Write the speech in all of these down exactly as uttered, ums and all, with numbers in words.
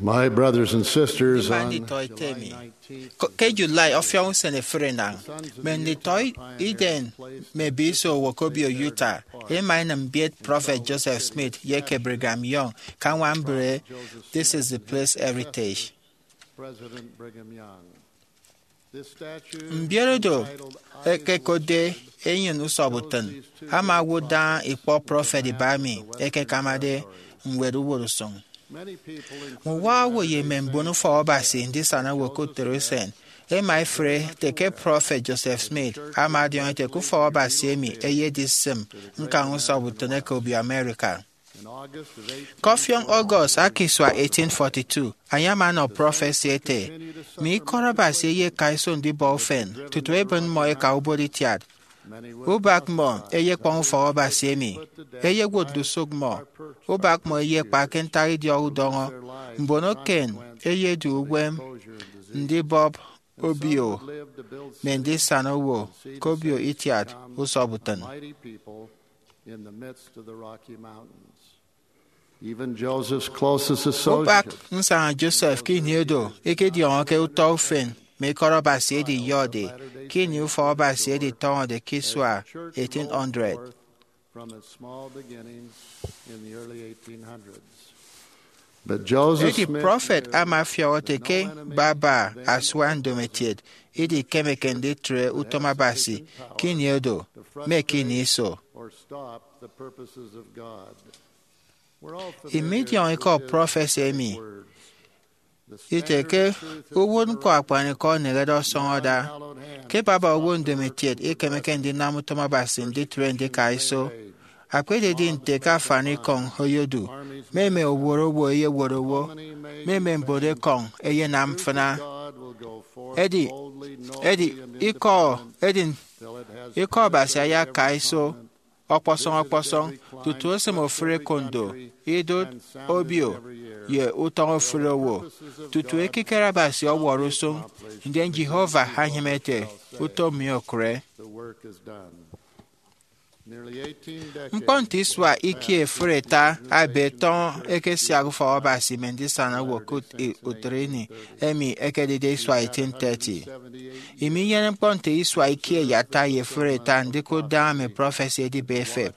My brothers and sisters, Mma nditọ ete mi, ko- ke July ọfiọñ usen efuri enañ, mme nditọ iden mme ebiso owo ke obio Utah ema enịm mbiet Prọfet Joseph Smith ye ke Brigham Young ke añwam mbre This Is the Place Heritage. President Brigham Young. This statue Mbiet odo ekekotde enyịn usọbutịn ama owụt daña ikpọ prọfet iba emi ẹkekamade ñwed uwụtñsụñ. Mme uwa owo ye mme mbon ufọk Abasi ndisana owo ke utịt usen ema efre ete ke Prọfet Joseph Smith ama ọdiọñ ete ke ufọk Abasi emi eyedi sịm ñkañ usọbutịn eke obio America. Ke ọfiọñ August aka isua eighteen forty-two, enye ama ọnọ prọfesi ete, mme ikọt Abasi eyeka iso ndibọ ufen tutu ebịn mmọ eka ubot itiat. Ubak mmọ eyekpọñ ufọk Abasi emi, eyewot ndusụk mmọ. Ubak mmọ eyekpa ke ntak idiọk udọñọ mbon eken eyedu uwem ndibọp obio mme ndisana owo ke obio itiat usọbutịn. In the midst of the Rocky Mountains. Even Joseph's closest Ubak associates nsaña Joseph ke ini edo ikidiọñọke utọ ufen mme ikọt Abasi edi iyọde ke ini ufọk Abasi editọñọde ke isua eighteen hundred. From its small beginnings in the early eighteen hundreds. But Joseph Edi Smith prọfet knew ama ọfiọk ete ke baba asua ndomokiet idikemeke nditre utom Abasi ke ini edo mme ke ini iso. Or stop the purposes of God. We're all familiar Imidiọñ ikọ with his prọfesi emi words. ite ke uwụtñkpọ akpanikọ enehede ọsọñọda. Ke baba owo ndomokiet ikemeke ndinam utom Abasi nditre ndika iso. Akpa ededi nte ke afanikọñ oyodu, mme mme owot owo eyewot owo, mme mme mbon ekọñ eyenam mfịna. Edi edi ikọ edi ikọ Abasi ayaka iso ọkpọsọñ ọkpọsọñ tutu esịm ofụri ekondo, idụt, obio, ye utọñ ofụri owo, tutu ekikere Abasi ọwọrọ usụñ, ndien Jehovah anyịme ete, utom mi okụre. The work is done. Nearly eighteen decades Ñkpọ nte isua ikie efụri ita ebe tọñọ ekesiak ufọk Abasi mme ndisana owo ke ut- i- utịt ini emi ekedide isua eighteen thirty. Imi inyene ñkpọ nte isua ikie ye ata ye efụri ita ndikụt daña mme prọfesi edibe efep,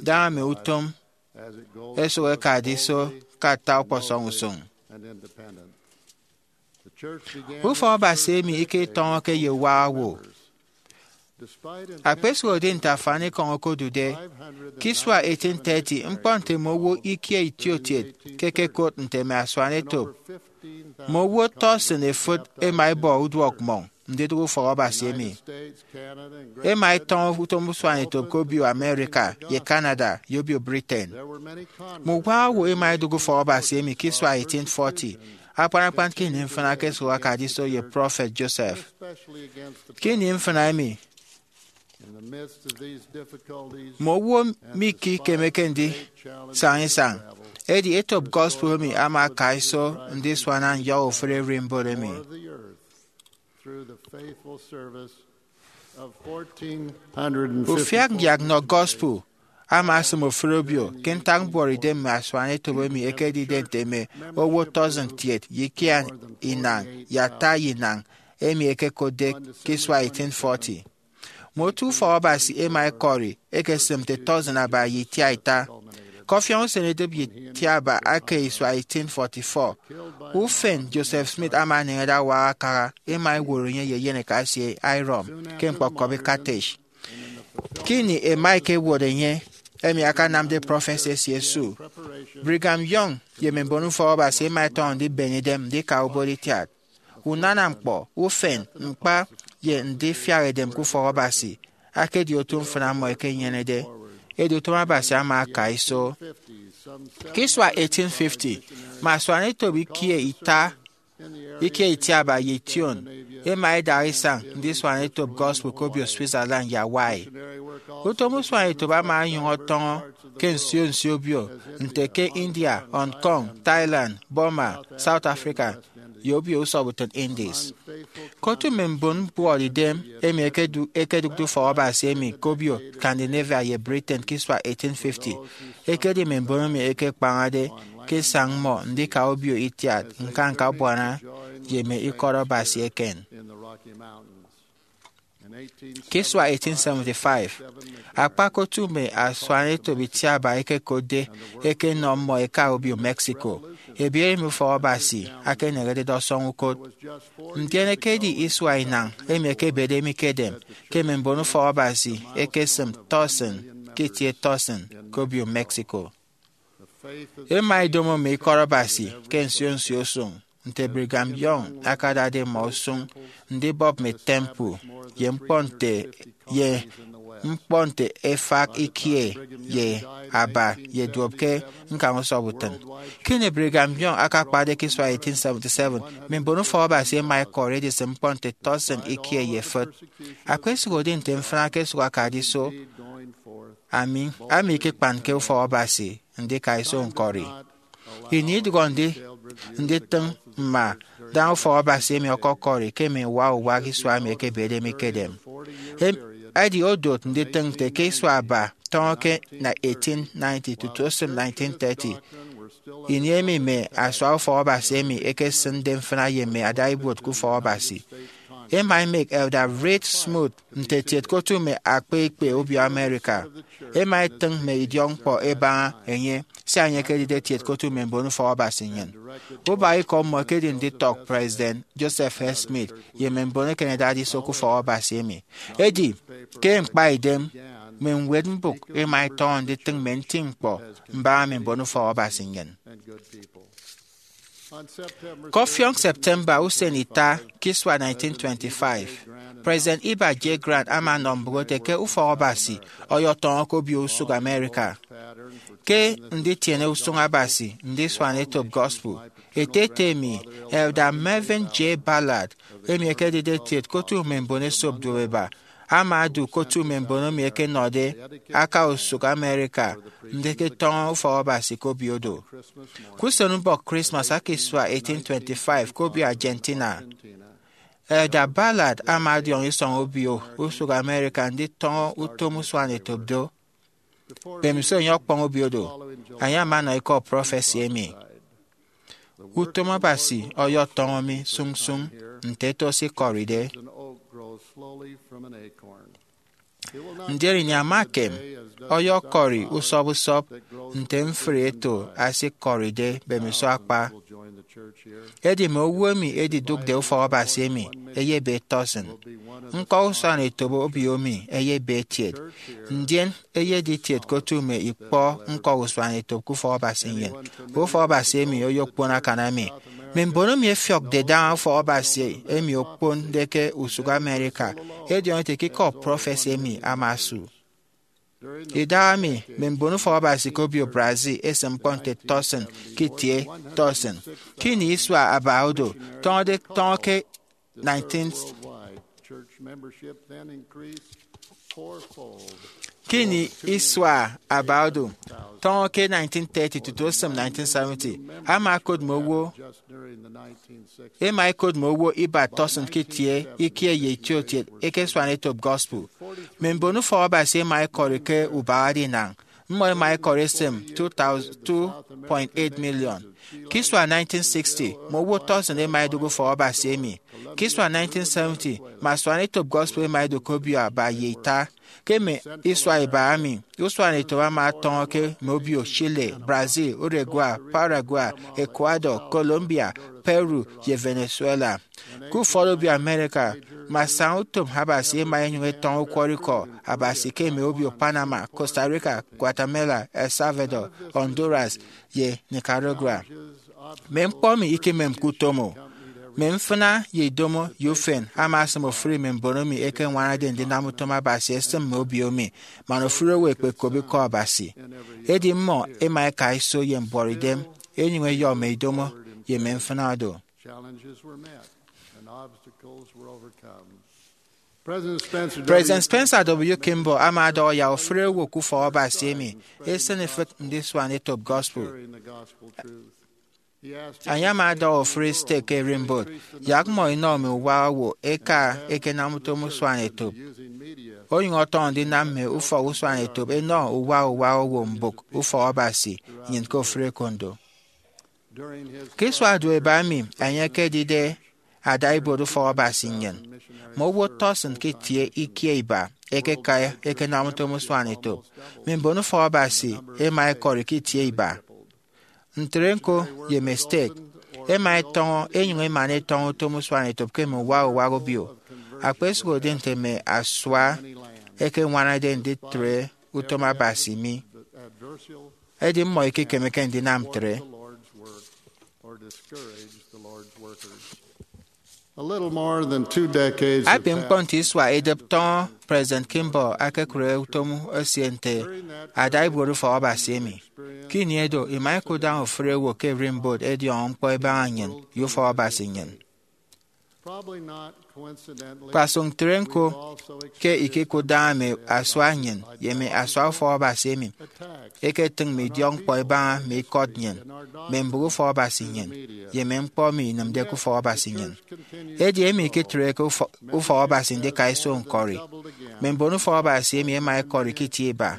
daña mme utom as it goes esụk ekade iso ke ata ọkpọsọñ usụñ. and independent. The church began Ufọk Abasi emi iketọñọke ye uwa owo. despite an Akpesụhode nte afanikọñ okodude, ke isua eighteen thirty, ñkpọ nte mme owo ikie itiokiet ke ẹkekot nte mme asuanetop, mme owo tọsịn efịt ema ẹbọ uduọk mmọñ ndidụk ufọk Abasi emi. States, Canada, and Ema ẹtọñọ utom usuanetop ke obio America ye Canada ye obio Britain. there were many Mme uwa owo ema ẹdụk ufọk Abasi emi ke isua eighteen forty, akpan akpan ke ini mfịna ke esụk akade iso ye Prọfet Joseph. especially against the Ke ini mfịna emi, in the midst of these difficulties mme owo mikikemeke ndisaña isañ, edi etop gospel emi ama aka iso ndisuana nyọhọ ofụri ererimbot emi. of the earth through the faithful service of fourteen hundred and fifty Ufiak nyak nnọ gospel ama asịm ofụri obio ke ntak mbuọtidem mme asuanetop emi ekedide nte mme owo tọsịn kiet ye ikie inañ ye ata ye inañ emi ekekotde ke isua eighteen forty. Mme otu ufọk Abasi ema ẹkọri ekesịm nte tọsịn aba ye itiaita. Ke ọfiọñ usen edịp ye itiaba aka isua eighteen forty-four, ufen Joseph Smith ama eneñede awak akaha, ema ẹwot enye ye eyeneka esie Hyrum ke ñkpọkọbi Carthage. Ke ini ema ẹkewot enye, emi akanamde prọfesi esie su, Brigham Young ye mme mbon ufọk Abasi ema ẹtọñọ ndibeñe idem ndika ubot itiat. Unana ñkpọ, ufen, ñkpa, ye ndifiak edem ke ufọk Abasi akedi otu mfịna mmọ ekenyenede. Edi utom Abasi ama aka iso. Ke isua eighteen fifty, mme asuanetop ikie ita, ikie itiaba ye ition ema ẹdaha isañ ndisuan etop gospel ke obio Switzerland ye Hawaii. Utom usuanetop ama onyụñ ọtọñọ ke nsio nsio obio, nte ke India, Hong Kong, Thailand, Burma, South Africa, ye obio usọbutịn Indies. Ke otu mme mbon mbuọtidem emi ekedu- ekedụkde ufọk Abasi emi ke obio Scandinavia ye Britain ke isua eighteen fifty, ekedi mme mbon emi ẹkekpañade ke isañ mmọ ndika obio itiat ñkanñka abuana ye mme ikọt Abasi eken. Ke isua eighteen seventy-five, akpakot mme asuanetop itiaba ekekotde ekenọ mmọ eka obio Mexico, ebiere emi ufọk Abasi akeneñerede ọsọñ ukot. Ndien ekedi isua inañ emi ekebede mi ke edem ke mme mbon ufọk Abasi ekesịm tọsịn ke itie tọsịn ke obio Mexico. Ema edomo mme ikọt Abasi ke nsio nsio usụñ, nte Brigham Young akadade mmọ usụñ ndibọp mme temple ye ñkpọ nte ye ñkpọ nte efak ikie ye aba ye duop ke ñkañ usọp utịn. Ke ini Brigham Young akakpade ke isua eighteen seventy-seven, mme mbon ufọk Abasi ema ẹkọri edisịm ñkpọ nte tọsịn ikie ye efịt. Akpesụhode nte mfịna ke esụk akade iso, ami ami ikekpanke ufọk Abasi ndika iso ñkọri. Ini idụhọ ndi nditịñ mma daña ufọk Abasi emi ọkọkọri ke mme uwa uwak isua emi ekebede mi ke edem. Em, edi odot nditịñ nte ke isua aba tọñọ ke na eighteen ninety tutu osịm nineteen thirty, ini emi mme asua ufọk Abasi emi ekesịnde mfịna ye mme adaibuot ke ufọk Abasi. Ema emek Elder Reed Smoot nte etiet ke otu mme akpa ikpe obio America. Ema etịñ mme idiọkñkpọ ebaña enye, sia enye ekedide etiet ke otu mme mbon ufọk Abasi nnyịn. Ubak ikọ mmọ ekedi nditọk President Joseph F. Smith ye mme mbon eken ẹdade iso ke ufọk Abasi emi. Edi, ke ñkpaidem, mme ñwed mbụk ema ẹtọñọ nditịñ mme nti ñkpọ mbaña mme mbon ufọk Abasi nnyịn. Ke ọfiọñ September usen ita ke isua nineteen twenty-five, President Heber J. Grant ama anọ mbụk ete ke ufọk Abasi ọyọtọñọ ke obio usụk America. Ke nditiene usụñ Abasi ndisuan etop gospel, ete ete emi, Elder Melvin J. Ballard, emi ekedide etiet ke otu mme mbon esop duopeba, ama odu ke otu mme mbon emi ẹkenọde aka usụk America ndiketọñọ ufọk Abasi ke obio do. Ke usenubọk Christmas aka isua eighteen twenty-five ke obio Argentina, Elder Ballard ama ọdiọñ isọñ obio usụk America nditọñọ utom usuanetop do. Mbemiso enye ọkpọñ obio do, enye ama ọnọ ikọ prọfesi emi, Utom Abasi ọyọtọñọ mi sụñsụñ nte eto se ikọride. Ndien ini ama ekem, ọyọkọri usọp usọp nte mfri eto se ikọride mbemiso akpa. Edi mme owo emi ẹdidụkde ufọk Abasi emi ẹyebe tọsịn. Ñkọ usuanetop obio mi ẹyebe etiet, ndien eyedi itiet ke otu mme ikpọ ñkọ usuanetop ke ufọk Abasi nnyịn. Ufọk Abasi emi oyokpon akan emi. Mme mbon emi ẹfiọkde daña ufọk Abasi emi okponde ke usụk America ẹdiọñọ ete ke ikọ prọfesi emi ama osu. Idahaemi, mme mbon ufọk Abasi ke obio Brazil ẹsịm ñkpọ nte tọsịn ke itie tọsịn. Ke ini isua aba odo, tọñọde tọñọ ke nineteen, ke ini isua aba odo, tọñọ ke nineteen thirty tutu osịm nineteen seventy, ama ẹkot mme owo, ema ẹkot mme owo ibat tọsịn ke itie ikie ye itiokiet eke asuanetop gospel. Mme mbon ufọk Abasi ema ẹkọri ke ubahade inañ. Mmọ ema ẹkọri ẹsịm two thousand, two point eight million. Ke isua nineteen sixty, mme owo tọsịn ema ẹdụk ufọk Abasi emi. Ke isua nineteen seventy, mme asuanetop gospel ema ẹdụk ke obio aba ye ita. Ke mme isua iba emi, usuanetop ama ọtọñọ ke mme obio Chile, Brazil, Uruguay, Paraguay, Ecuador, Colombia, Peru, ye Venezuela. Ke ufọt obio America, mme asañautom Abasi ema ẹnyụñ ẹtọñọ ukwọrọikọ Abasi ke mme obio Panama, Costa Rica, Guatemala, El Salvador, Honduras, ye Nicaragua. Mme ñkpọ emi ikememke utom o. Mme mfịna ye idomo ye ufen ama asịm ofụri mme mbon emi ẹkeñwanade ndinam utom Abasi ẹsịm mme obio mi, man ofụri owo ekpekop ikọ Abasi. Edi mmọ ema ẹka iso ye mbuọtidem, ẹnyụñ ẹyọ mme idomo ye mme mfịna do. Challenges were met and obstacles were overcome. President Spencer W. President Spencer W. Kimball ama ọdọhọ yak ofụri owo ke ufọk Abasi emi esịn ifịk ndisuan etop gospel. Sharing the gospel truth. He asked Enye ama ọdọhọ ofụri stek ke ererimbot, yak mmọ inọ mme uwa owo eka ekenam utom usuan etop. Using media Onyụñ ọtọñọ ndinam mme ufọk usuan etop ẹnọ uwa uwa owo mbụk ufọk Abasi nnyịn ke ofụri ekondo. Ke isua duop iba emi enye ekedide ada ibuot ufọk Abasi nnyịn, mme owo tọsịn ke itie ikie iba ẹkeka ẹkenam utom usuanetop. Mme mbon ufọk Abasi ẹma ẹkọri ke itie iba. Ntre ñko, ye mme stek ẹma ẹtọñọ ẹnyụñ ẹmana ẹtọñọ utom usuanetop ke mme uwak uwak obio. Akpasụhode nte mme asua ẹkeñwanade nditre utom Abasi mi, edi mmọ ikekemeke ndinam ntre. Akpan ñkpọ nte isua idịp tọñọ President Kimball akekụre utom esie nte ada ibuot ufọk Abasi emi. Ke ini edo, ima ikudaña ofụri owo ke ererimbot ẹdiọñọ ñkpọ ẹbaña nnyịn ye ufọk Abasi nnyịn. Kpasụk ntre ñko, ke ikekụtdaña mme asua nnyịn ye mme asua ufọk Abasi emi ẹketịñ mme idiọkñkpọ ẹbaña mme ikọt nnyịn, mme mbụk ufọk Abasi nnyịn, ye mme ñkpọ emi inịmde ke ufọk Abasi nnyịn. Edi emi ikitreke ufọ- ufọk Abasi ndika iso ñkọri. Mme mbon ufọk Abasi emi ẹma ẹkọri ke itie iba.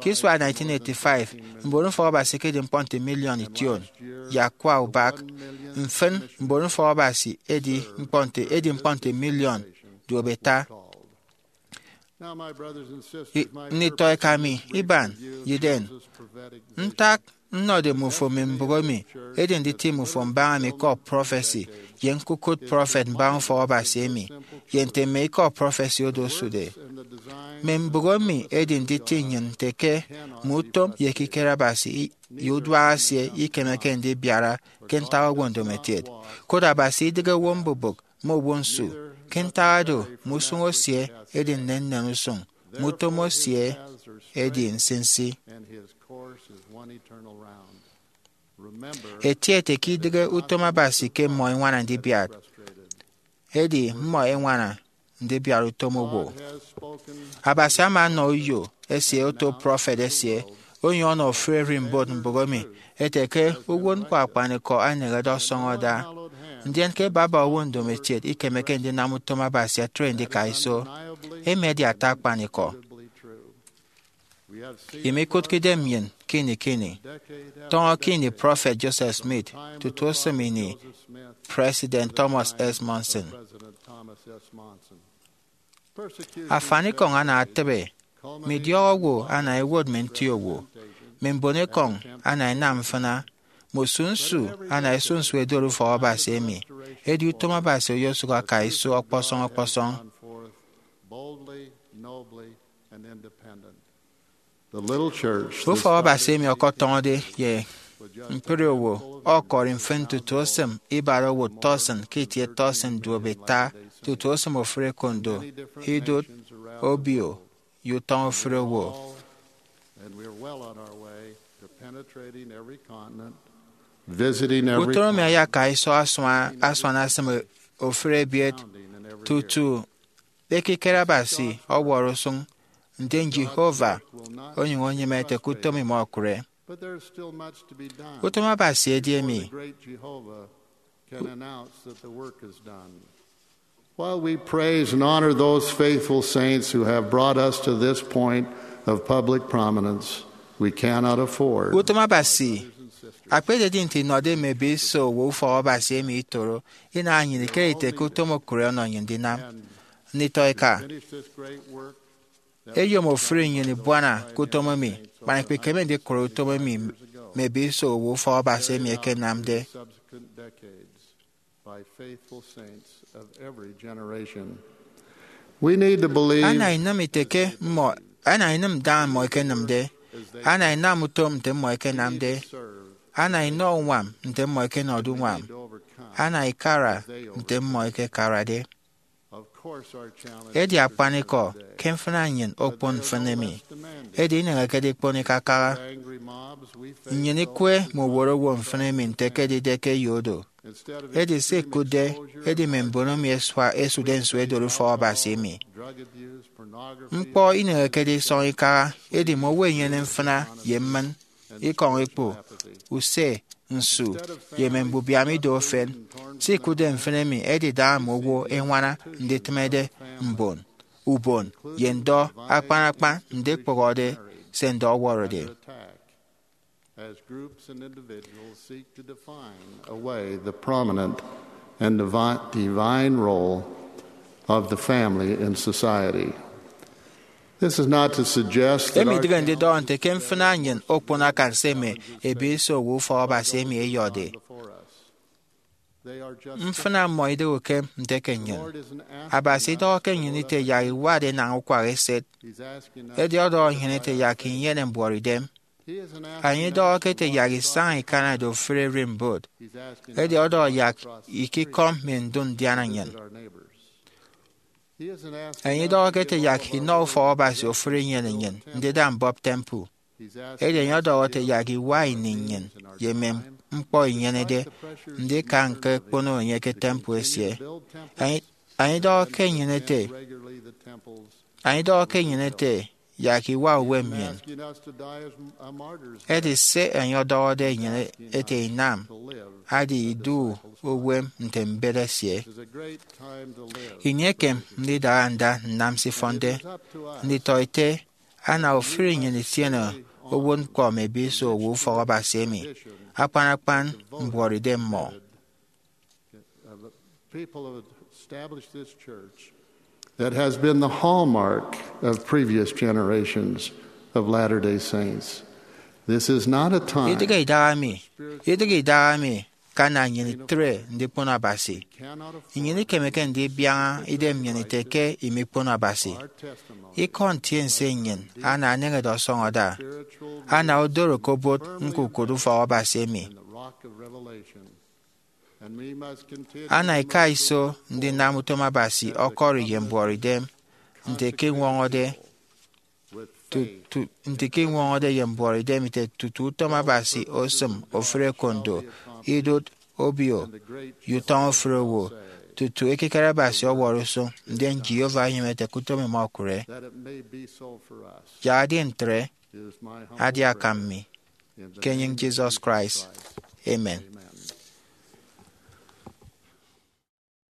Ke isua nineteen eighty-five, mbon ufọk Abasi ẹkedi ñkpọ nte miliọn ition ye akwa ubak. Mfịn, mbon ufọk Abasi edi ñkpọ nte edi ñkpọ nte miliọn duop ita. Nditọ eka mi iban, yiden ntak nnọde mmufo mme mbụk emi edi nditi mmufo mbaña mme ikọ prọfesi ye ñkukụt prọfet mbaña ufọk Abasi emi, ye nte mme ikọ prọfesi oro osude. Mme mbụk emi edi nditi nnyịn nte ke mme utom ye ekikere Abasi ye uduak esie ikemeke ndibiara ke ntak owo ndomokiet. Koro Abasi idịghe owo mbubịk, mme owo nsu. Ke ntak oro, mme usụñ esie edi nnennen usụñ, mme utom esie edi nsinsi. Eti ete ke idịghe utom Abasi ke mmọ ẹñwana ndibiat, edi mmọ ẹñwana ndibiat utom owo. Abasi ama ọnọ uyo esie oto prọfet esie, onyụñ ọnọ ofụri ererimbot mbụk emi, ete ke uwụtñkpọ akpanikọ anehede ọsọñ ada, ndien ke baba owo ndomokiet ikemeke ndinam utom Abasi ẹtre ndika iso. Emi edi ata akpanikọ. Imikụtke idem nnyịn ke ini ke ini, tọñọ ke ini Prọfet Joseph Smith tutu osịm ini President Thomas S. Monson. Afanikọñ ana atịbe, mme idiọk owo ana ẹwot mme nti owo, mme mbonekọñ ana ẹnam mfịna, mme osu nsu ana ẹsu nsu ẹdori ufọk Abasi emi. Edi utom Abasi oyosụk aka iso ọkpọsọñ ọkpọsọñ. Ufọk Abasi emi ọkọtọñọde ye ñkpri owo ọkọri mfịn tutu osịm ibara owụt tọsịn ke itie tọsịn duop ita, tutu osịm ofụri ekondo, idụt, obio, ye utọñ ofụri owo. Utoro mi ayaka iso asua- asuana asịm ofụri ebiet tutu ekikere Abasi ọwọrọ usụñ, ndien Jehovah onyụñ onyịme ete ke utom imọkụre. Utom Abasi edi emi. While we praise and honor those faithful saints who have brought us to this point of public prominence, we cannot afford. Utom Abasi akpededi nte inọde mme ebiso owo ufọk Abasi emi itoro, inaha nnyịn ikere ite ke utom okụre ọnọ nnyịn ndinam. Nditọ eka, eyom ofụri nnyịn ibuana ke utom emi, man ikpekeme ndikụre utom emi mme ebiso owo ufọk Abasi emi ẹkenamde. By faithful saints of every generation. We need to believe. Ana inịm ite ke mmọ, ana inịm daña mmọ ẹkenịmde, ana inam utom nte mmọ ẹkenamde, ana inọ uñwam nte mmọ ẹkenọde uñwam, ana ikara nte mmọ ẹkekarade. Edi akpanikọ ke mfịna nnyịn okpon mfịn emi, edi ineñekede ikpon ikakaha. Nnyịn ikwe mme uwot owo mfịn emi nte ekedide ke eyo do. Edi se ikụtde edi mme mbon emi ẹsua- ẹsude nsu ẹdori ufọk Abasi emi. Ñkpọ ineñekede isọñ ikaha, edi mme owo ẹnyene mfịna ye mmịn, ikọñ ikpu, use, nsu, ye mme mbubiam ido efen. Se ikụtde mfịn emi edi daña mme owo ẹñwana nditịmede mbon, ubon, ye ndọ akpan akpan ndikpụhọde se ndọ ọwọrọde. As groups and individuals seek to define away the prominent and divi- divine role of the family in society. This is not to suggest that emi our idịghe ndidọhọ nte ke mfịna nnyịn okpono akan se mme ebiet iso owo ufọk Abasi emi ẹyọde. Mfịna mmọ idịghe ukem nte ke nnyịn. Abasi idọhọke nnyịn ite yak iwat enañ ukwak eset. Edi ọdọhọ nnyịn ite yak inyene mbuọtidem. Enye idọhọke ete yak isaña ikanade ofụri ererimbot. Edi ọdọhọ yak ikikọm mme ndu ndiana nnyịn. Enye idọhọke ete yak inọ ufọk Abasi ofụri inyene nnyịn ndida mbọp temple. Edi enye ọdọhọ ete yak iwa ini nnyịn ye mme ñkpọ inyenede ndika ñkekpono enye ke temple esie. Enye idọhọke nnyịn ete Enye idọhọke nnyịn ete yak iwa uwem nnyịn. Edi se enye ọdọhọde nnyịn ete inam adi idu uwem nte mbet esie. Ini ekem ndidara nda nnam se ifọnde nditọete ana ofụri nnyịn itiene owotñkpọ mme ebiet iso owo ufọk Abasi emi, akpan akpan mbuọtidem mmọ. People have established this church that has been the hallmark of previous generations of Latter-day Saints. This is not a time Idịghe idaha mi, idịghe idaha mi ke ana nnyịn itre ndikpono Abasi. Nnyịn ikemeke ndibiaña idem nnyịn ite ke imikpono Abasi. Ikọ ntiense nnyịn ana eneñede ọsọñọ ada, ana odoro ke obot ñkukot ufọk Abasi emi. Ana ika iso ndinam utom Abasi ọkọri ye mbuọtidem nte ke iñwọñọde tutu nte ke iñwọñọde ye mbuọtidem ite tutu utom Abasi osịm ofụri ekondo, idụt, obio, ye utọñ ofụri owo, tutu ekikere Abasi ọwọrọ usụñ, ndien Jehovah enyịme ete ke utom emi okụre. Yak edi ntre, adi akam mi. Ke enyịñ Jesus Christ, amen.